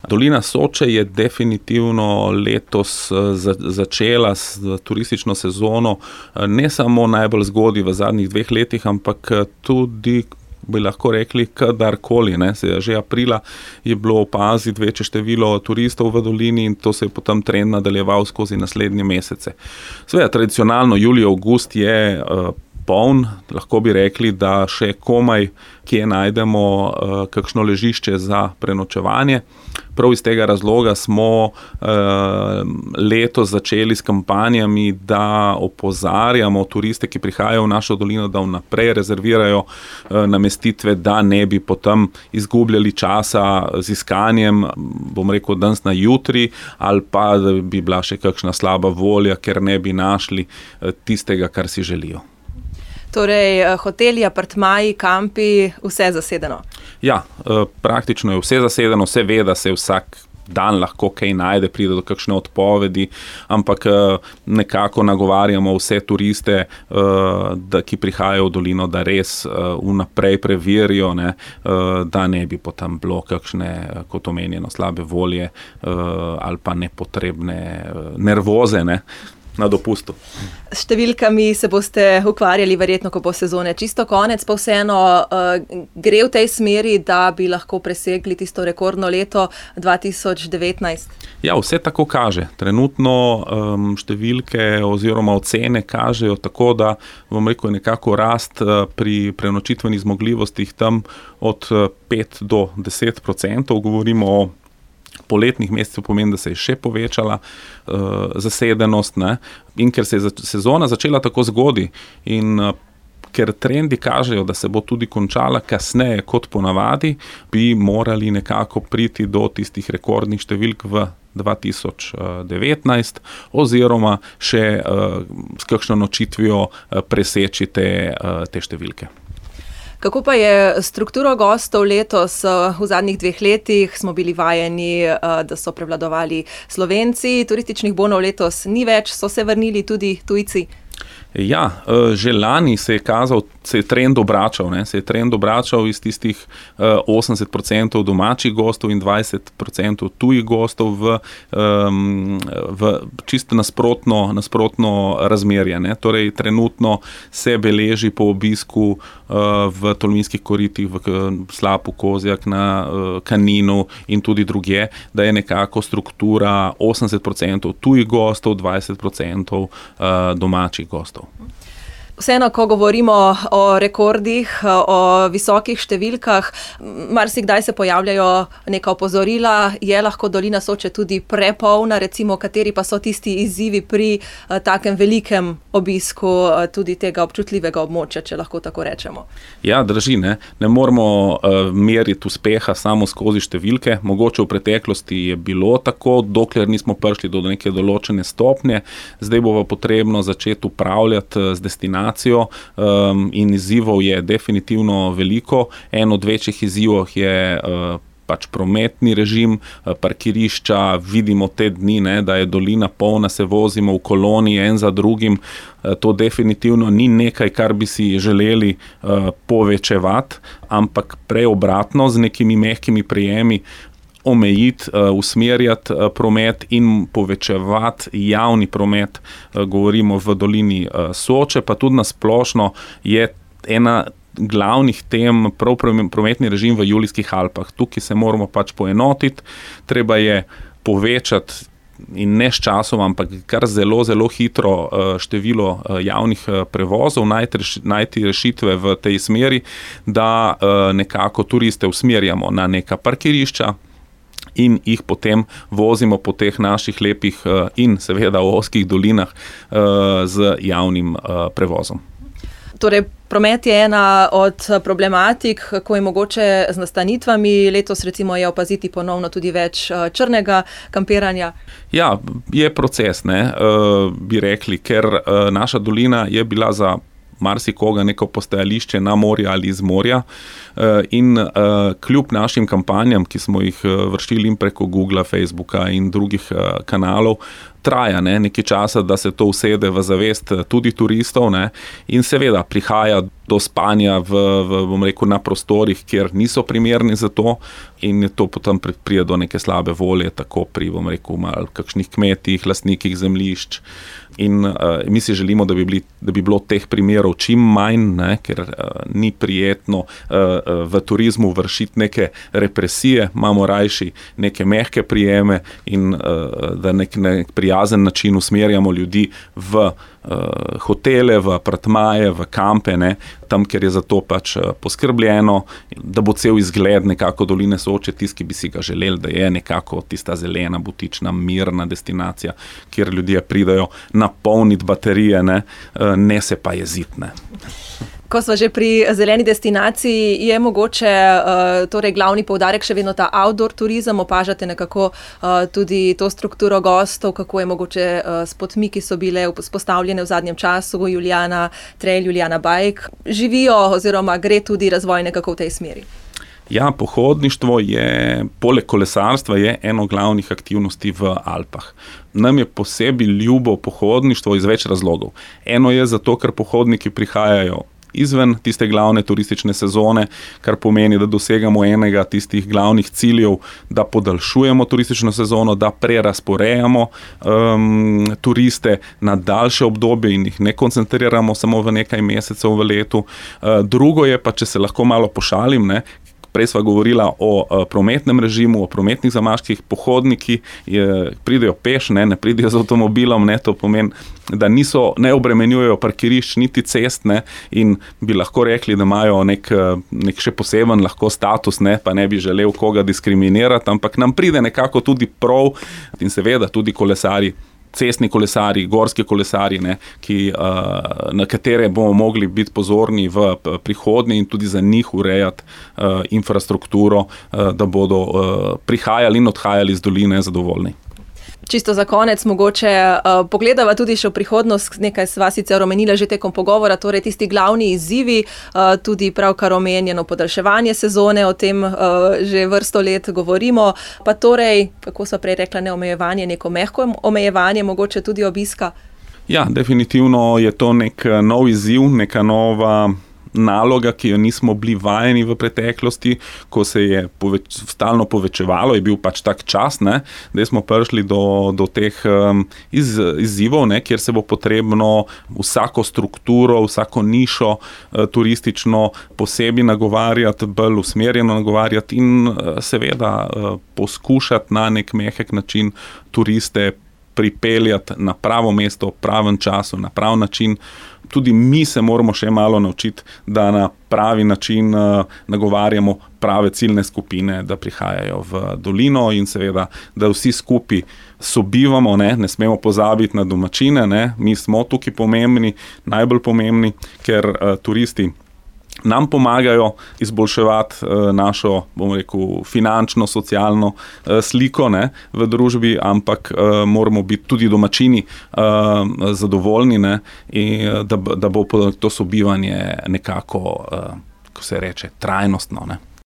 Dolina Soče je definitivno letos začela s turistično sezono ne samo najbolj zgodaj v zadnjih 2 letih, ampak tudi, bi lahko rekli, kadarkoli. Že aprila je bilo opaziti večje število turistov v dolini in to se je potem trend nadaljeval skozi naslednje mesece. Seveda, tradicionalno julij, avgust je poln, lahko bi rekli, da še komaj kje najdemo kakšno ležišče za prenočevanje. Prav iz tega razloga smo letos začeli s kampanjami, da opozarjamo turiste, ki prihajajo v našo dolino, da vnaprej rezervirajo namestitve, da ne bi potem izgubljali časa z iskanjem, bom rekel, danes na jutri, ali pa da bi bila še kakšna slaba volja, ker ne bi našli tistega, kar si želijo. Torej, hoteli, apartmaji, kampi, vse zasedeno? Ja, praktično je vse zasedeno, vse ve, da se vsak dan lahko kaj najde, pride do kakšne odpovedi, ampak nekako nagovarjamo vse turiste, ki prihajajo v dolino, da res vnaprej preverijo, da ne bi potem bilo kakšne, kot omenjeno, slabe volje ali pa nepotrebne nervoze, na dopustu. S številkami se boste ukvarjali verjetno, ko bo sezone čisto konec, pa vseeno gre v tej smeri, da bi lahko presegli tisto rekordno leto 2019? Ja, vse tako kaže. Trenutno številke oziroma ocene kažejo tako, da, bom rekel, nekako rast pri prenočitvenih zmogljivostih tam od 5 do 10%, govorimo o poletnih mesecev, pomeni, da se je še povečala zasedenost, in ker se je sezona začela tako zgodaj in ker trendi kažejo, da se bo tudi končala kasneje kot ponavadi, bi morali nekako priti do tistih rekordnih številk v 2019 oziroma še s kakšno nočitvijo preseči te številke. Kako pa je strukturo gostov letos? V zadnjih 2 letih smo bili vajeni, da so prevladovali Slovenci, turističnih bonov letos ni več, so se vrnili tudi tujci? Ja, že lani se je trend obračal iz tistih 80% domačih gostov in 20% tujih gostov v čisto nasprotno razmerje. Torej, trenutno se beleži po obisku v Tolminskih koritih, v Slapu, Kozjak, na Kaninu in tudi drugje, da je nekako struktura 80% tujih gostov, 20% domačih gostov. Vseeno, ko govorimo o rekordih, o visokih številkah, marsikdaj se pojavljajo neka opozorila, je lahko dolina Soče tudi prepolna, recimo, kateri pa so tisti izzivi pri takem velikem obisku tudi tega občutljivega območja, če lahko tako rečemo. Ja, drži, ne moramo meriti uspeha samo skozi številke. Mogoče v preteklosti je bilo tako, dokler nismo prišli do neke določene stopnje. Zdaj bo pa potrebno začeti upravljati z destinacijo in izzivov je definitivno veliko. En od večjih izzivov je pač prometni režim, parkirišča, vidimo te dni, da je dolina polna, se vozimo v koloni en za drugim. To definitivno ni nekaj, kar bi si želeli povečevati, ampak prej obratno, z nekimi mehkimi prijemi omejiti, usmerjati promet in povečevati javni promet, govorimo v dolini Soče, pa tudi na splošno je ena glavnih tem prav prometni režim v Julijskih Alpah. Tukaj se moramo pač poenotiti, treba je povečati in ne s časom, ampak kar zelo, zelo hitro število javnih prevozov, najti rešitve v tej smeri, da nekako turiste usmerjamo na neka parkirišča in jih potem vozimo po teh naših lepih in seveda ozkih dolinah z javnim prevozom. Torej, promet je ena od problematik, kako je mogoče z nastanitvami. Letos recimo je opaziti ponovno tudi več črnega kampiranja. Ja, je proces, bi rekli, ker naša dolina je bila za marsikoga neko postajališče na morju ali iz morja in kljub našim kampanjam, ki smo jih vršili in preko Googla, Facebooka in drugih kanalov, traja nekaj časa, da se to usede v zavest tudi turistov, in seveda prihaja do spanja bom rekel, na prostorih, kjer niso primerni za to, in je to potem pride do neke slabe volje, tako pri, bom rekel, malo kakšnih kmetih, lastnikih zemljišč. In mi si želimo, da bi bilo teh primerov čim manj, ne, ker ni prijetno v turizmu vršiti neke represije, imamo rajši neke mehke prijeme in da nek prijazen način usmerjamo ljudi v hotele, v apartmaje, v kampe, ne, tam, kjer je za to pač poskrbljeno, da bo cel izgled nekako doline Soče, tisti, ki bi si ga želeli, da je nekako tista zelena, butična, mirna destinacija, kjer ljudje pridajo napolniti baterije, ne se pa jeziti, ne. Ko smo že pri zeleni destinaciji, je mogoče torej glavni poudarek še vedno ta outdoor turizem, opažate nekako tudi to strukturo gostov, kako je mogoče s potmi, ki so bile vzpostavljene v zadnjem času, Julijana Trail, Julijana Bike, živijo oziroma gre tudi razvoj nekako v tej smeri? Ja, pohodništvo je, poleg kolesarstva, je eno glavnih aktivnosti v Alpah. Nam je posebej ljubo pohodništvo iz več razlogov. Eno je zato, ker pohodniki prihajajo izven tiste glavne turistične sezone, kar pomeni, da dosegamo enega tistih glavnih ciljev, da podaljšujemo turistično sezono, da prerasporejamo turiste na daljše obdobje in jih ne koncentriramo samo v nekaj mesecev v letu. Drugo je pa, če se lahko malo pošalim, ne, prej sva govorila o prometnem režimu, o prometnih zamaških, pohodniki pridejo peš, ne pridejo z avtomobilom, to pomeni, da ne obremenjujejo parkirišč niti cest, in bi lahko rekli, da imajo nek še poseben lahko status, pa ne bi želel koga diskriminirati, ampak nam pride nekako tudi prav in seveda tudi kolesari, cestni kolesari, gorski kolesari, na katere bomo mogli biti pozorni v prihodnje in tudi za njih urejati infrastrukturo, da bodo prihajali in odhajali iz doline zadovoljni. Čisto za konec mogoče pogledava tudi še v prihodnost, nekaj sva sicer omenila že tekom pogovora, torej tisti glavni izzivi, tudi pravkar omenjeno podaljševanje sezone, o tem že vrsto let govorimo, pa torej, kako sva prej rekla, ne omejevanje, neko mehko omejevanje, mogoče tudi obiska? Ja, definitivno je to nek nov izziv, neka nova naloga, ki jo nismo bili vajeni v preteklosti, ko se je stalno povečevalo, je bil pač tak čas, da smo prišli do teh izzivov, kjer se bo potrebno vsako strukturo, vsako nišo turistično posebej nagovarjati, bolj usmerjeno nagovarjati in seveda poskušati na nek mehek način turiste pripeljati na pravo mesto, v pravem času, na prav način. Tudi mi se moramo še malo naučiti, da na pravi način nagovarjamo prave ciljne skupine, da prihajajo v dolino in seveda, da vsi skupaj sobivamo, ne smemo pozabiti na domačine, mi smo tukaj pomembni, najbolj pomembni, ker turisti nam pomagajo izboljševati našo, bom rekel, finančno, socialno sliko v družbi, ampak moramo biti tudi domačini zadovoljni, in da bo to sobivanje nekako, ko se reče, trajnostno.